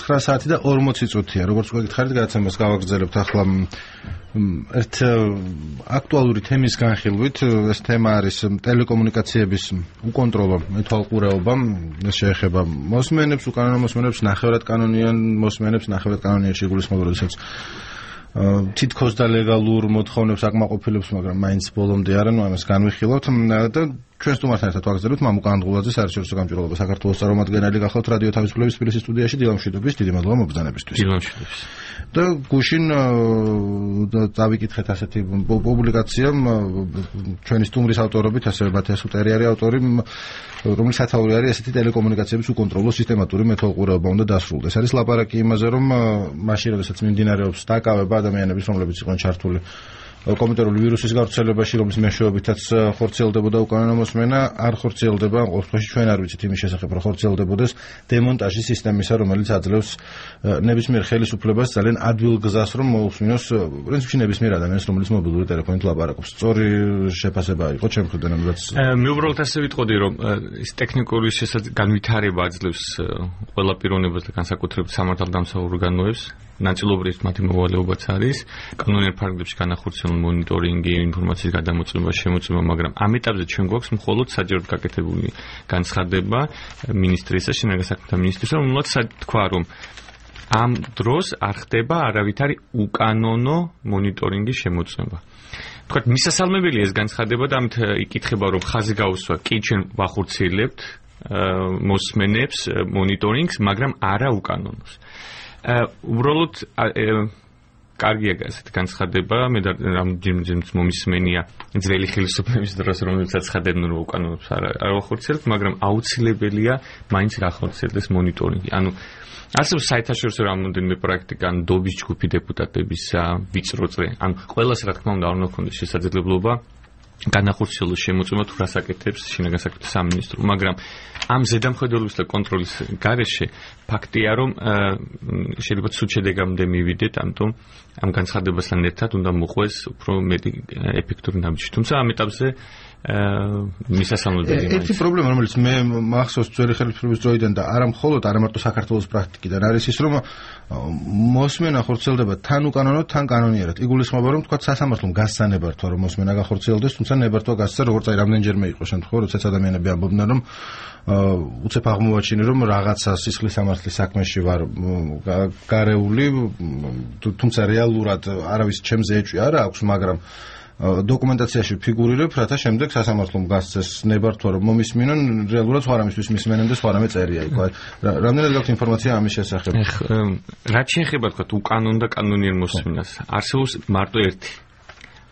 9 საათი და 40 წუთია. Როგორც გითხარით, გადაცემას გავაგრძელებთ ახლა ერთ აქტუალური თემის განხილვით. ეს თემა არის ტელეკომუნიკაციების უკონტროლო მეთვალყურეობა. ეს შეეხება მოსმენებს, უკანონო მოსმენებს, ნახევრად კანონიან მოსმენებს, ნახევრად კანონიაში იგულისხმება, როდესაც თითქოს და ლეგალურ მოთხოვნებს აკმაყოფილებს, მაგრამ მაინც ბოლომდე არა, ამას განვიხილავთ და ჩვენ სტუმართან ერთად ვაგრძელებთ მამუკ ანდგულაძე, საერთაშორისო გამჭვირვალობა საქართველოს წარმომადგენელი გახლავთ რადიო თავისუფლების თბილისის სტუდიაში. დილამშვიდობის, დიდი მადლობა მობრძანებისთვის. დილამშვიდობის. და გუშინ დავიკითხეთ ასეთი პუბლიკაცია ჩვენი სტუმრის ავტორობით, ასევე მათიას უტერიარი ავტორი, რომლის სათაური არის ესეთი ტელეკომუნიკაციების უკონტროლო სისტემატური მეთვალყურეობა უნდა დასრულდეს. არის ლაპარაკი იმაზე, რომ მაშინ როდესაც მიმდინარეობს დაკავება ადამიანების, რომლებიც იყვნენ ჩართული კომპიუტერული ვირუსის გავრცელებაში, რომლის მეშვეობითაც ხორციელდებოდა უკანონო მოსმენა, არ ხორციელდება, ყოველთვის ჩვენ არ ვიცით იმის შესახებ, რომ ხორციელდებოდეს დემონტაჟის სისტემისა, რომელიც აძლევს ნებისმიერ ხელისუფლებას ძალიან ადვილ გზას, რომ მოусმინოს პრინციპში ნებისმიერ ადამიანს, რომელიც მობილური ტელეფონით ლაპარაკობს. სწორი შეფასება იყო ჩემ მხრიდან, რაც მე უბრალოდ ასე ვიტყოდი, რომ ის ტექნიკური განვითარება აძლევს ყველა პიროვნებას და განსაკუთრებით სამართალდამცავ ორგანოებს. ნაწილობრივ მათი მოვალეობაც არის კანონიერ ფარგლებში განახორციელებული მონიტორინგი, ინფორმაციის გადამოწმება, შემოწმება, მაგრამ ამ ეტაპზე ჩვენ გვაქვს მხოლოდ საჯაროდ გაკეთებული განცხადება მინისტრისა, შინაგან საქმეთა მინისტრისა, რომელსაც თქვა, რომ ამ დროს არ ხდება არავითარი უკანონო მონიტორინგის შემოწმება. თქვა, მისასალმებელია ეს განცხადება და ამით იკითხება, რომ ხაზი გაუსვა, კი ჩვენ ვახორციელებთ მოსმენებს, მონიტორინგს, მაგრამ არა უკანონოს. უბრალოდ კარგია ასეთი განცხადება, მე რამდენიმეც მომისმენია ძველი ხელისუფლების დროს, რომელსაც ცხადებდნენ, რომ უკანონოს არ ახორციელებთ, მაგრამ აუცილებელია მაინც რა ახორციელდეს მონიტორინგი. ანუ ასევე საერთაშორისო რამდენიმე პრაქტიკა, დობის ჯგუფი დეპუტატებისა, ვიწრო წრე, ანუ ყველას რა თქმა უნდა არ უნდა ქონდეს შესაძლებლობა განახორციელოს შემოწმება თუ რას აკეთებს შინაგან საქმეთა სამინისტრო, მაგრამ ამ ზედამხედველობის და კონტროლის გარეშე ფაქტია, რომ შეიძლება ცუდ შედეგამდე მივიდეთ, ამიტომ ამ განცხადებასთან ერთად უნდა მოყვეს უფრო მეტი ეფექტური ნაბიჯი. თუმცა ამ ეტაპზე მისასალმებელი. ერთი პრობლემა, რომელიც მე მახსოვს ძველი ხელისუფლების დროიდან და არა მხოლოდ არა მარტო საქართველოს პრაქტიკიდან არის ის, რომ მოსმენა ხორციელდება თან უკანონოდ, თან კანონიერად. იგულისხმება, რომ თქვა სასამართლომ გასცა ნებართვა, რომ მოსმენა გახორციელდეს, თუმცა ნებართვა გასცა, როგორც აი რამდენჯერმე იყო შემთხვევა, როდესაც ადამიანები ამბობდნენ, რომ უცებ აღმოვაჩინე, რომ რაღაცა სისხლის სამართლის საქმეში ვარ გარეული, თუმცა რეალურად არავის ჩემზე ეჭვი არ აქვს, მაგრამ დოკუმენტაციაში ფიგურირებ, რათა შემდეგ სასამართლომ გასცეს ნებართვა, რომ მომისმინონ, რეალურად სხვა რამისთვის მისმენენ და სხვა რამე წერია იქ. რამდენად გაქვთ ინფორმაცია ამის შესახებ? რაც შეეხება თქვა უკანონო და კანონიერ მოსმენას, არსებობს მარტო ერთი.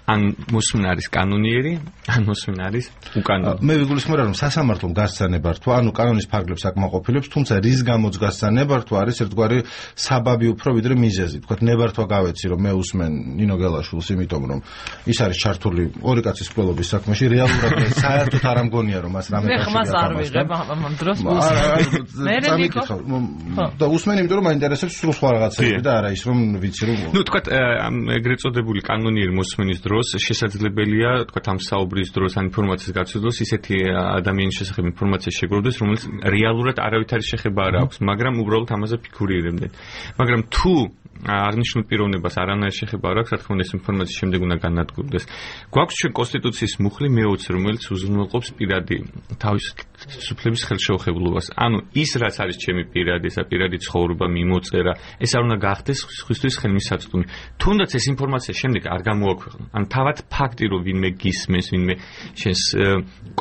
ან მოსმენა არის კანონიერი, ან მოსმენა არის უკანონო. მე ვიგულისხმება, რომ სასამართლომ გასცა ნებართვა, ანუ კანონის ფარგლებს აკმაყოფილებს, თუმცა რის გამოც გასცა ნებართვა არის ერთგვარი საბაბი უფრო ვიდრე მიზეზი. თქვათ ნებართვა გავეცი, რომ მე უსმენ ნინო გელაშვილს, იმიტომ რომ ის არის ჩართული ორი კაცის მკვლელობის საქმეში, რეალურად საერთოდ არ ამგონია, რომ მას რამე კავშირი აქვს. მე ხმას არ ვიღებ ამ დროს. და უსმენ, იმიტომ რომ მაინტერესებს სულ სხვა რაღაცები და არა ის, რომ ვიცი რომ ნუ თქვათ ეგრეთ წოდებული კანონიერი მოსმენის დროს შესაძლებელია, თქვა ამ საუბრის დროს ან ინფორმაციის გაცვლას ისეთი ადამიანის შესახებ ინფორმაცია შეგროვდეს, რომელიც რეალურად არავითარი შეხება არ აქვს, მაგრამ უბრალოდ ამაზე ფიგურირებდნენ. მაგრამ თუ აღნიშნულ პიროვნებას არანაირი შეხება არ აქვს, რა თქმა უნდა ეს ინფორმაცია შემდეგ უნდა განადგურდეს. გვაქვს ჩვენ კონსტიტუციის მუხლი მე-20, რომელიც უზრუნველყოფს პირადი თავისუფლების ხელშეუხებლობას. ანუ ის რაც არის ჩემი პირადი, პირადი ცხოვრება, მიმოწერა, ეს არ უნდა გახდეს სხვისთვის ხელმისაწვდომი. თუნდაც ეს ინფორმაცია შემდეგ არ გამოაქვეყნა. ან თავად ფაქტი, რომ ვინმე გისმენს, ვინმე შენს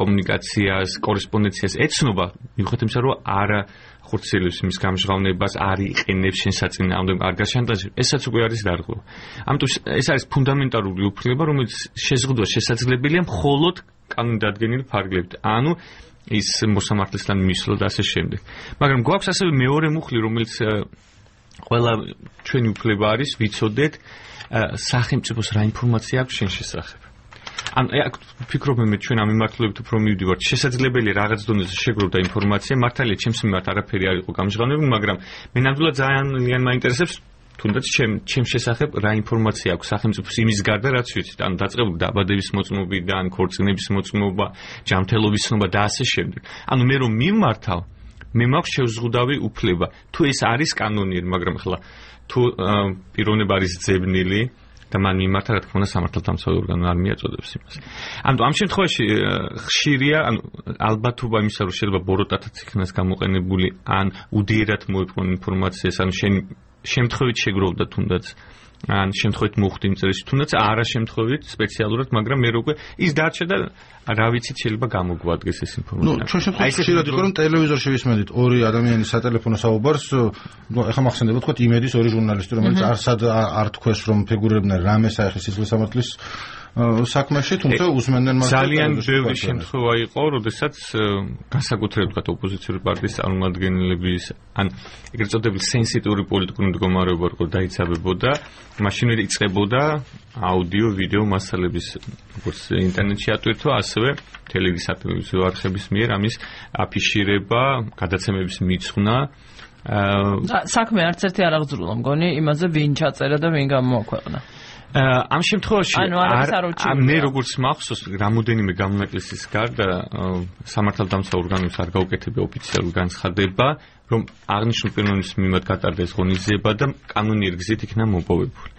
კომუნიკაციას, კორესპონდენციას ეცნობა, მიუხედავად იმისა, რომ არა ხორციელებს იმის გამჟღავნებას, არ იყენებს შენ საწინააღმდეგო, არ გაშანტაჟებს, ესაც უკვე არის დარღვევა. ამიტომ ეს არის ფუნდამენტალური უფლება, რომელიც შეზღუდვა შესაძლებელია მხოლოდ კანონდადგენილი ფარგლებით. ანუ ის მოსამართლესთან მისვლა და ასე შემდეგ. მაგრამ გვაქვს ასევე მეორე მუხლი, რომელიც ყველა ჩვენი უფლება არის ვიცოდეთ სახელმწიფოს რა ინფორმაცია აქვს შენ შესახებ. ან ფიქრობ მე ჩვენ ამ მიმართულებით უფრო მივდივართ. შესაძლებელია რაღაც დონეზე შეგროვდა ინფორმაცია, მართალია ჩემს მიმართ არაფერი არ იყო გამჟღავნებული, მაგრამ მე ნამდვილად ძალიან მაინტერესებს თუნდაც ჩემ შესახებ რა ინფორმაცია აქვს სახელმწიფოს იმის გარდა რაც ვიცით. ანუ დაწყებული დაბადების მოწმობიდან, ქორწინების მოწმობა, ჯანმრთელობის ცნობა და ასე შემდეგ. ანუ მე რომ მიმართავ მე მაქვს შევზღუდავი უფლება. თუ ეს არის კანონიერი, მაგრამ ახლა თუ პიროვნება არის ძებნილი და მან მიმართა რა თქმა უნდა სამართალდამცავი ორგანო არ მიაწოდებს იმას. ანუ ამ შემთხვევაში ხშირია, ანუ ალბათობა იმისა, რომ შეიძლება ბოროტათაც იქნას გამოყენებული, ან უდიერად მოიპოვონ ინფორმაციას, ან შემთხვევით შეგროვდა თუნდაც ან შემთხვევით მოხდი იმ წერილში, თუნდაც არა შემთხვევით სპეციალურად, მაგრამ მე როგორ ის დარჩა და რა ვიცით შეიძლება გამოგვადგეს ეს ინფორმაცია. ჩვენ შემთხვევით ხშირად იყო რომ ტელევიზორში ვისმენთ ორი ადამიანის სატელეფონო საუბარს, ეხლა მახსენდება თქვა იმედის ორი ჟურნალისტი, რომელიც არსად არ თქვეს რომ ფიგურირებდნენ რამე საერთო სისხლის სამართლის საქმეში, თუმცა უსმენდნენ მას. ძალიან ბევრი შემთხვევა იყო, როდესაც განსაკუთრებით ვთქვათ ოპოზიციური პარტიის წარმომადგენლების ან ეგრეთ წოდებული სენსიტიური პოლიტიკური მდგომარეობა როგორ დაიცავებოდა, მაშინ იწყებოდა აუდიო, ვიდეო მასალების როგორც ინტერნეტში ატვირთვა, ასევე ტელევიზიო არხების მიერ ამის აფიშირება, გადაცემების მიძღვნა. საქმე არც ერთი არ აღძრულა მგონი იმაზე ვინ ჩაწერა და ვინ გამოაქვეყნა. ამ შემთხვევაში მე როგორც მახსოვს რამოდენიმე გამონაკლისის გარდა სამართალდამცავ ორგანოებს არ გაუკეთებია ოფიციალური განცხადება რომ აღნიშნულ პიროვნების მიმართ გატარდეს ღონისძიება და კანონიერი გზით იქნა მოპოვებული.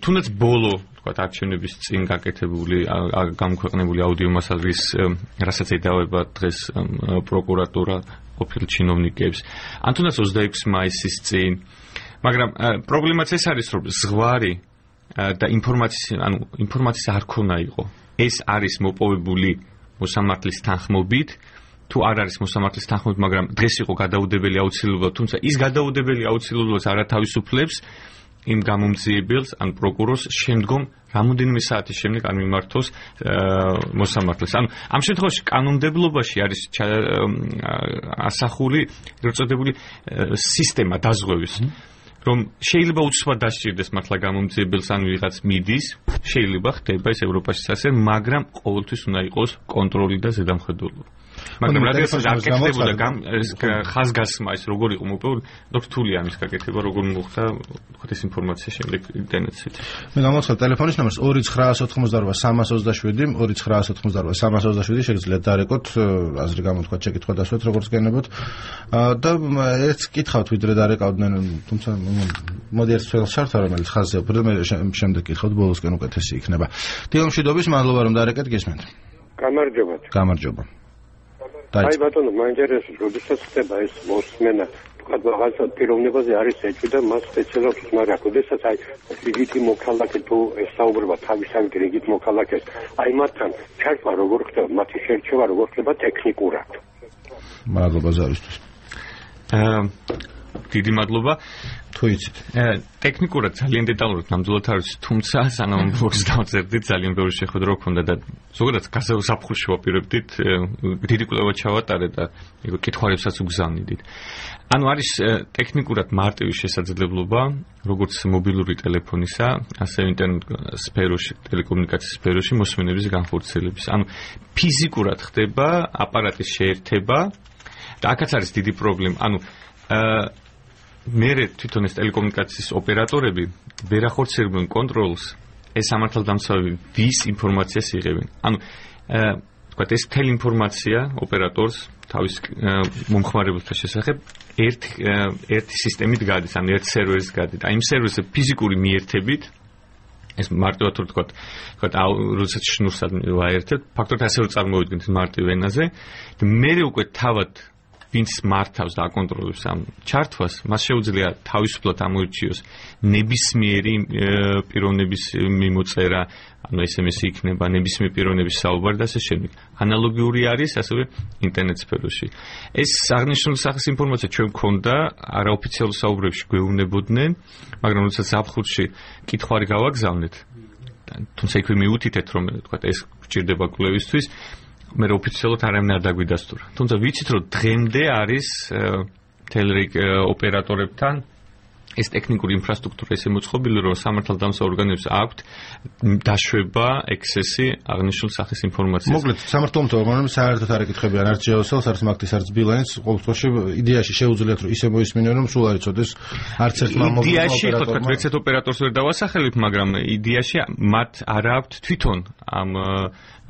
თუნდაც ბოლო თქვათ არჩევნების წინ გაკეთებული გამოქვეყნებული აუდიო მასალის რასაც ედავება დღეს პროკურატურა ყოფილ ჩინოვნიკებს ან თუნდაც 26 მაისის წინ, მაგრამ პრობლემაც ეს არის რომ ზღვარი და ინფორმაციის არ ქონა იყო. ეს არის მოპოვებული მოსამართლის თანხმობით, თუ არ არის მოსამართლის თანხმობით, მაგრამ დღეს იყო გადაუდებელი აუცილებლობა, თუმცა ის გადაუდებელი აუცილებლობას არ ათავისუფლებს იმ გამომძიებელს ან პროკურორს შემდგომ რამოდენიმე საათის შემდეგ არ მიმართოს მოსამართლეს. ანუ ამ შემთხვევაში კანონმდებლობაში არის ასახული ეგრეთ წოდებული სისტემა დაზღვევის. რომ შეიძლება უცბად დასჭირდეს მართლა გამომძიებელს ან ვიღაც მიდის, შეიძლება ხდება ეს ევროპაშიც ასე, მაგრამ ყოველთვის უნდა იყოს კონტროლი და ზედამხედველობა. მაგრამ რადგან აკეთებოდა ხაზგასმა ეს როგორ იყო მოპოვებული, რთულია ამის გაკეთება, როგორ მოხდა თქვა ეს ინფორმაცია შემდეგ ინტერნეტში. მე გამოვცხადე ტელეფონის ნომერს 2988 327 2988 327 შეგიძლიათ დარეკოთ, აზრი გამოთქვათ, შეკითხვა დასვათ როგორც გენებოთ და ეს კითხავთ ვიდრე დარეკავდნენ, თუმცა მოდი ერთ თვალს შევართ, რომელიც ხაზზე უფრო მე შემდეგ კითხავთ, ბოლოსკენ უკეთესი იქნება. დილომშვიდობის, მადლობა რომ დარეკეთ, გესმენთ. გამარჯობათ. გამარჯობა. აი ბატონო, მაინტერესებს, როდესაც ხდება ეს მოსმენა, თქვა რაღაცა პიროვნებაზე არის ეჭვი და მას სპეციალურად მაგრამ როდესაც აი რიგითი მოქალაქე თუ ესაუბრება თავისავით რიგით მოქალაქეს, აი მათთან ჩართვა როგორ ხდება, მათი შერჩევა როგორ ხდება ტექნიკურად. მადლობა ზარისთვის. დიდი მადლობა. თუ იცით. ტექნიკურად ძალიან დეტალურად ნამდვილად არ ვიცი, თუმცა სანამ ბოქს დავწერდით ძალიან ბევრი შეხვედრა ჰქონდა და ზოგადად გაზაფხულში ვაპირებდით, დიდი კვლევა ჩავატარე და ეგ კითხვებსაც უგზავნიდით. ანუ არის ტექნიკურად მარტივი შესაძლებლობა, როგორც მობილური ტელეფონისა, ასევე ინტერნეტ სფეროში, ტელეკომუნიკაციის სფეროში მოსმენების განხორციელების. ანუ ფიზიკურად ხდება აპარატის შეერთება და აქაც არის დიდი პრობლემა. ანუ მერე თვითონ ეს ტელეკომუნიკაციის ოპერატორები ვერ ახორციელებენ კონტროლს ეს სამართალდამცავი ვის ინფორმაციას იღებენ. ანუ თქვა ეს მთელი ინფორმაცია ოპერატორს თავის მომხმარებელთა შესახებ ერთი სისტემით გადის, ანუ ერთ სერვერს გადის. აი იმ სერვერზე ფიზიკური მიერთებით ეს მარტივად თქვა როდესაც შნურს ვაერთებთ, ფაქტობრივად ასე რომ წარმოვიდგინეთ მარტივ ენაზე და მერე უკვე თავად ვინც მართავს და აკონტროლებს ამ ჩართვას, მას შეუძლია თავისუფლად ამოირჩიოს ნებისმიერი პიროვნების მიმოწერა, ანუ SMS-ი იქნება, ნებისმიერი პიროვნების საუბარი და ასე შემდეგ. ანალოგიური არის ასევე ინტერნეტ სფეროში. ეს აღნიშნული სახის ინფორმაცია ჩვენ გვქონდა, არაოფიციალურ საუბრებში გვეუბნებოდნენ, მაგრამ როდესაც ზაფხულში კითხვარი გავაგზავნეთ, თუმცა იქვე მიუთითეთ, რომ თქვა ეს გჭირდება კვლევისთვის, მე ოფიციალურად არავინ არ დაგვიდასტურა. თუმცა ვიცით, რომ დღემდე არის ტელერიგ ოპერატორებთან ეს ტექნიკური ინფრასტრუქტურა ესე მოწყობილი, რომ სამართალდამცავ ორგანოებს აქვთ დაშვება ექსესი აღნიშნულ სახის ინფორმაციას. მოკლედ, სამართალდამცავ ორგანოებს საერთოდ არ ეკითხებიან არც ჯეოსელს, არც მაგთის, არც ბილანს, ყოველ შემთხვევაში იდეაში შეუძლიათ, რომ ისე მოისმინონ, რომ სულ არ იცოდეს არც ერთმა მობილურ ოპერატორმა. იდეაში ხო თქვა, ვერცეთ ოპერატორს ვერ დავასახელებ, მაგრამ იდეაში მათ არ აქვთ თვითონ ამ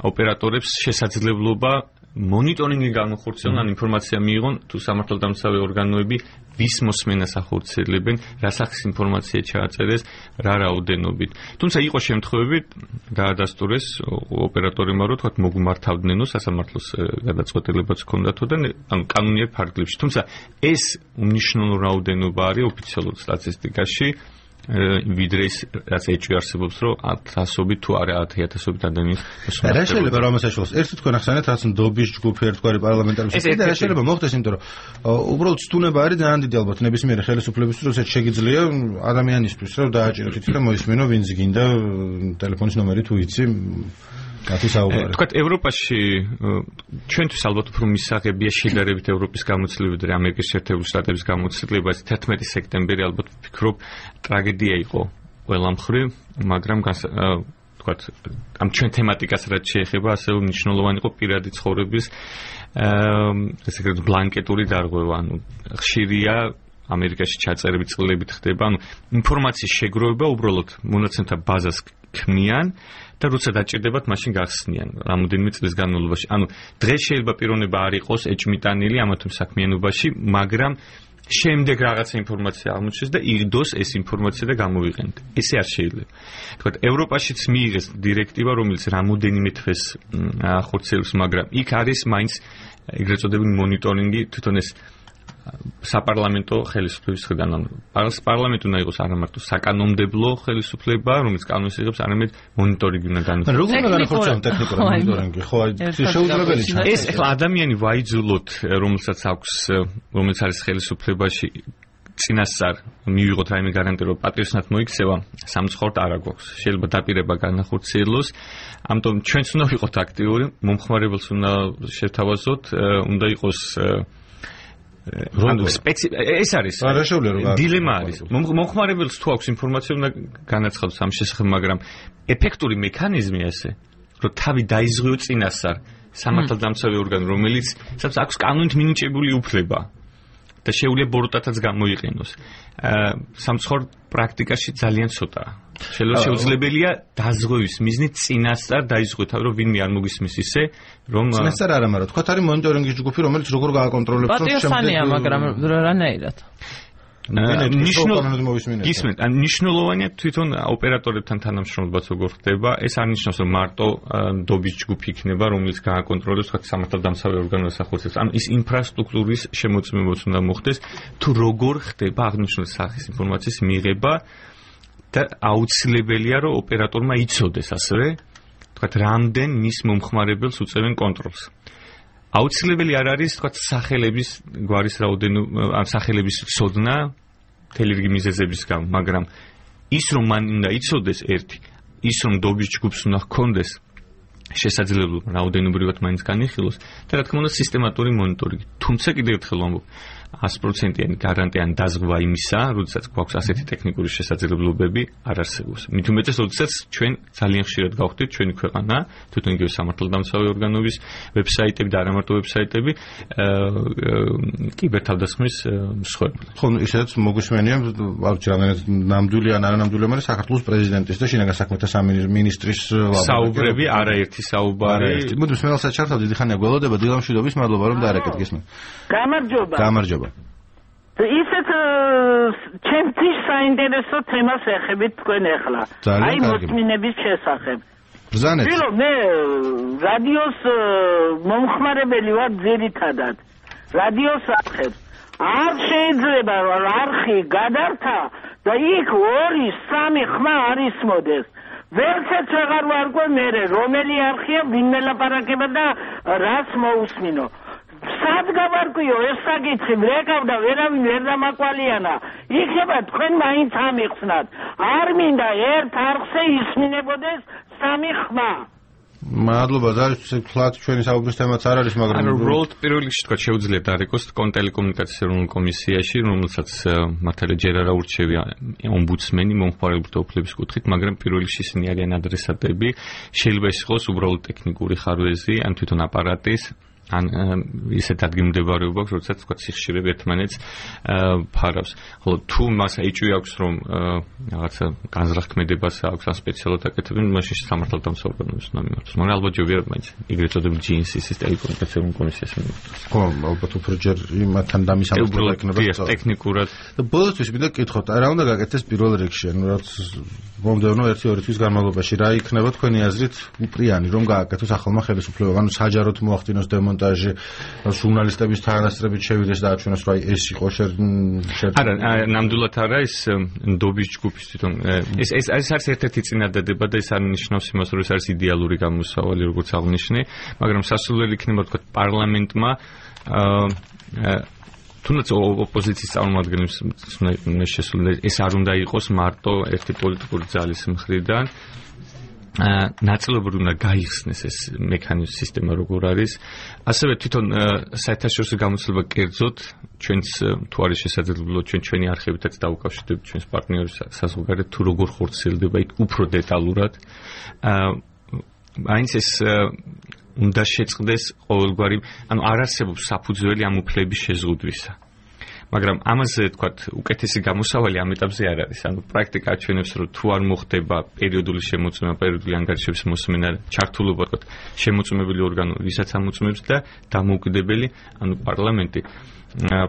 ოპერატორებს შესაძლებლობა მონიტორინგი განხორციელონ, ან ინფორმაცია მიიღონ თუ სამართალდამცავი ორგანოები ვის მოსმენას ახორციელებენ, რა სახის ინფორმაცია ჩააწერეს, რა რაოდენობით. თუმცა იყო შემთხვევები, დაადასტურეს ოპერატორებმა, რომ თქვათ მოგმართავდნენო სასამართლოს გადაწყვეტილებაც ჰქონდათო და ანუ კანონიერ ფარგლებში. თუმცა ეს უმნიშვნელო რაოდენობა არის ოფიციალურ სტატისტიკაში, ვიდრე ის რაც ეჭვი არსებობს, რომ 100-ობით თუ არა 10,000-ობით ადამიანის მოსმენა. რა შეიძლება რომ ასაშულოს? ერთი თქვენ ახსენეთ, რაც ნდობის ჯგუფი ერთგვარი პარლამენტარების და რა შეიძლება მოხდეს, იმიტომ რომ უბრალოდ სტუნება არის ძალიან დიდი ალბათ ნებისმიერი ხელისუფლებისთვის, როცა შეგიძლია ადამიანისთვის რომ დააჭიროთ იცი და მოისმინო ვინც გინდა ტელეფონის ნომერი თუ იცი თქვათ ევროპაში ჩვენთვის ალბათ უფრო მისაღებია შედარებით ევროპის გამოცდილებით და ამერიკის შეერთებული შტატების გამოცდილება 11 სექტემბერი ალბათ ვფიქრობ ტრაგედია იყო ყველა მხრივ, მაგრამ თქვათ ამ ჩვენ თემატიკას რაც შეეხება ასევე მნიშვნელოვანი იყო პირადი ცხოვრების ესე იგი ბლანკეტური დარღვევა, ანუ ხშირია ამერიკაში ჩაწერები წყილებით ხდება, ანუ ინფორმაციის შეგროვება უბრალოდ მონაცემთა ბაზას ქმნიან და როცა დაჭირდებათ, მაშინ გახსნიან რამოდენიმე წლის განმავლობაში. ანუ დღეს შეიძლება პიროვნება არ იყოს ეჭმიტანილი ამა თუ საქმიანობაში, მაგრამ შემდეგ რაღაცა ინფორმაცია აღმოჩნდეს და იღდოს ეს ინფორმაცია და გამოვიყენოთ. ესე არ შეიძლება. თქვათ, ევროპაშიც მიიღეს დირექტივა, რომელიც რამოდენიმე თვეს ახორციელებს, მაგრამ იქ არის მაინც ეგრეთ წოდებული მონიტორინგი, თვითონ ეს საპარლამენტო ხელისუფლების მხრიდან, ანუ პარლამენტი უნდა იყოს არა მარტო საკანონმდებლო ხელისუფლება, რომელიც კანონს იღებს, არამედ მონიტორინგი უნდა განხორციელოს. როგორ უნდა განხორციელოს ტექნიკური მონიტორინგი? ხო, შეუძლებელი ჩანს. ეს ახლა ადამიანი ვაიძულოთ, რომელიც არის ხელისუფლებაში, წინასწარ მივიღოთ რაიმე გარანტია, რომ პატრიოტად მოიქცევა, სამწუხაროდ არ აქვს. შეიძლება დაპირება განახორციელოს. ამიტომ ჩვენც უნდა ვიყოთ აქტიური, მომხმარებელს უნდა შევთავაზოთ, უნდა იყოს ეს არის დილემა არის. მომხმარებელს თუ აქვს ინფორმაცია, უნდა განაცხადოს ამ შესახებ, მაგრამ ეფექტური მექანიზმია ესე, რომ თავი დაიზღვიო წინასწარ სამართალდამცავი ორგანო, რომელიც აქვს კანონით მინიჭებული უფლება და შეუძლია ბოროტათაც გამოიყენოს. სამწუხაროდ პრაქტიკაში ძალიან ცოტაა. შეუძლებელია დაზღვევის მიზნით წინასწარ დაიზღვიოთ, რომ ვინმე არ მოგისმის ისე, რომ წინასწარ არა, მაგრამ თქვათ არის მონიტორინგის ჯგუფი, რომელიც როგორ გააკონტროლებს, რომ პატიოსანია, მაგრამ რანაირად. მნიშვნელოვანია თვითონ ოპერატორებთან თანამშრომლობაც როგორ ხდება. ეს არ ნიშნავს, რომ მარტო ნდობის ჯგუფი იქნება, რომელიც გააკონტროლებს სამართალდამცავი ორგანოს ახორციელებს. ანუ ის ინფრასტრუქტურის შემოწმებაც უნდა მოხდეს, თუ როგორ ხდება აღნიშნული სახის ინფორმაციის მიღება და აუცილებელია, რომ ოპერატორმა იცოდეს ასევე, თქვათ, რამდენ მის მომხმარებელს უწევენ კონტროლს. აუცილებელი არ არის, თქვათ, სახელების გვარის რაოდენობა, ან სახელების ცოდნა თელირგი მიზეზების გამო, მაგრამ ის რომ მან უნდა იცოდეს ერთი, ის რომ ნდობის ჯგუფს უნდა ჰქონდეს შესაძლებლობა რაოდენობრივად მაინც განიხილოს და რა თქმა უნდა სისტემატური მონიტორინგი. თუმცა კიდევ ერთხელ ვამბობ, 100%-იანი გარანტია ან დაზღვა იმისა, როდესაც გვაქვს ასეთი ტექნიკური შესაძლებლობები არ არსებობს. მით უმეტეს, როდესაც ჩვენ ძალიან ხშირად გავხდით ჩვენი ქვეყანა, თვითონ იგივე სამართალდამცავი ორგანოების ვებსაიტები და არა მარტო ვებსაიტები, კიბერთავდასხმის მსხვერპლი. ხო, ისედაც მოგვისმენია, არ ვიცი რამდენად ნამდვილი ან არანამდვილი, მაგრამ საქართველოს პრეზიდენტის და შინაგან საქმეთა სამინისტრის საუბრები, არაერთი საუბარი. მოდი მსმენელსაც ჩართავ, დიდი ხანია გველოდება, დილამშვიდობის, მადლობა რომ დაარეკეთ გესმით. გამარჯობა. ისეთ ჩემთვის საინტერესო თემას ეხებით თქვენ ახლა. აი მოსმინების შესახებ. ბრძანეთ. მე რადიოს მომხმარებელი ვარ ძირითადად. რადიოს ახებ. არ შეიძლება არხი გადართა და იქ 2-3 ხმა არ ისმოდეს. ვერცეც აღარ ვარკვე მე რომელი არხია, ვინ მელაპარაკება და რას მოусმინო. სად გავარკვიო ეს საკითხი, რეკავდა ვერავინ ვერ დამაკვალიანა. იქნება თქვენ მაინც ამიხსნათ. არ მინდა ერთ არხზე ისმინებოდეს 3 ხმა. მადლობა, ძალით ჩვენი საუბრის თემაც არ არის, მაგრამ უბრალოდ პირველ რიგში თქვა შეუძლია დარეკოს კონტელეკომუნიკაციის ეროვნულ კომისიაში, რომელსაც მართალია ჯერ არა ურჩევია ომბუდსმენი მომხმარებელთა უფლების კუთხით, მაგრამ პირველ რიგში ისინი არიან ადრესატები. შეიძლება ის იყოს უბრალოდ ტექნიკური ხარვეზი, ან თვითონ აპარატის ან ისეთ ადგილმდებარეობა აქვს, როდესაც თქვა სიხშირე ერთმანეთს ფარავს. ხოლო თუ მას ეჭვი აქვს, რომ რაღაცა განზრახქმედებას აქვს ან სპეციალურად აკეთებენ, მაშინ სამართალ დამსაუბრებლებს უნდა მიმართოს. მაგრამ ალბათ ჯობია მაინც ეგრეთ წოდებული GNCC-ის ტელეკომუნიკაციური კომისიას მიმართოს. ხო, ალბათ უფრო ჯერ იმათთან დამისამართლება იქნება. ტექნიკურად. ბოლოსთვის მინდა გკითხოთ, რა უნდა გაკეთდეს პირველ რიგში, ანუ რაც მომდევნო 1-2 თვის განმავლობაში რა იქნება თქვენი აზრით უპრიანი, რომ გააკეთოს ახალმა ხელისუფლებამ, ანუ საჯაროდ მოახდინოს დემონტაჟი, ჟურნალისტების თანასწრებით შევიდეს და აჩვენოს, რომ ეს იყო არა, ნამდვილად არა, ეს ნდობის ჯგუფის თვითონ ეს არის ერთ-ერთი წინადადება და ეს არ ნიშნავს იმას, რომ ეს არის იდეალური გამოსავალი, როგორც აღნიშნე, მაგრამ სასურველი იქნება თქვა პარლამენტმა თუნდაც ოპოზიციის წარმომადგენლებს ეს არ უნდა იყოს მარტო ერთი პოლიტიკური ძალის მხრიდან ნაწილობრივ უნდა გაიხსნეს ეს მექანიზმი სისტემა როგორ არის ასევე თვითონ საერთაშორისო გამოცდილება კერძოდ ჩვენს თუ არის შესაძლებლობა ჩვენი არხებითაც დაუკავშირდებით ჩვენს პარტნიორებს საზღვარგარეთ თუ როგორ ხორციელდება იქ უფრო დეტალურად მაინც ეს უნდა შეწყდეს ყოველგვარი, ანუ არ არსებობს საფუძველი ამ უფლების შეზღუდვისა. მაგრამ ამაზე თქვათ უკეთესი გამოსავალი ამ ეტაპზე არ არის. ანუ პრაქტიკა აჩვენებს, რომ თუ არ მოხდება პერიოდული შემოწმება, პერიოდული ანგარიშების მოსმენა, ჩართულობა თქვათ შემოწმებელი ორგანო, ვისაც ამოწმებს და დამოუკიდებელი, ანუ პარლამენტი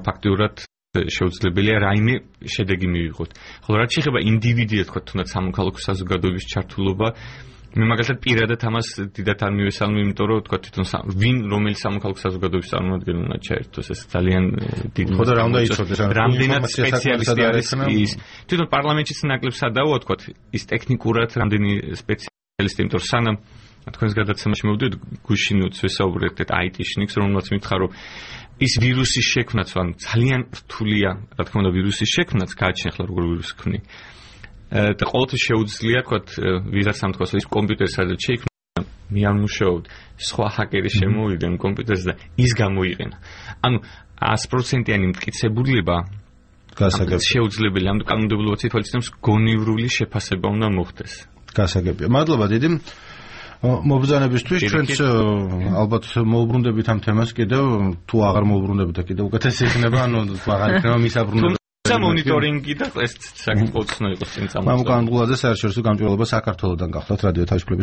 ფაქტიურად შეუძლებელია რაიმე შედეგი მივიღოთ. ხოლო რაც შეეხება ინდივიდიად თქვათ თუნდაც სამოქალაქო საზოგადოების ჩართულობა მე მაგალითად პირადად ამას დიდად არ მივესალმე, იმიტომ რომ თქვა თვითონ ვინ რომელი სამოქალაქო საზოგადოების წარმომადგენელი უნდა ჩაერთოს ეს ძალიან დიდი ხო და რა უნდა იცოდეს რამდენად სპეციალისტი არის ის თვითონ პარლამენტშიც ნაკლებ სადაოა თქვა ის ტექნიკურად რამდენი სპეციალისტი, იმიტომ რომ სანამ თქვენს გადაცემაში მოვდივით გუშინ ვესაუბრეთ IT-ში ნიქს რომელმაც მითხრა რომ ის ვირუსის შექმნაც ან ძალიან რთულია რა თქმა უნდა ვირუსის შექმნაც გააჩნია როგორ ვირუსი ქმნი და ყოველთვის შეუძლია თქვათ ვიღაც ამ თქოს ის კომპიუტერი სადაც შეიქმნა მე არ მუშაობ სხვა ჰაკერი შემოვიდნენ კომპიუტერს და ის გამოიყენა ანუ 100%-იანი მტკიცებულება შეუძლებელი ამ კანონმდებლობის თვალსაჩინოს გონივრული შეფასება უნდა მოხდეს გასაგებია მადლობა დიდი მობრძანებისთვის ჩვენც ალბათ მოუბრუნდებით ამ თემას კიდევ თუ აღარ მოუბრუნდებით და კიდევ უკეთესი იქნება ანუ აღარ იქნება მისაბრუნებელი მონიტორინგი და ეს საკითხიც უნდა იყოს წინ წამოწეული. მამუკან გულაძე საერთაშორისო გამჭვირვალობა საქართველოსდან გახლავთ რადიო თავისუფლების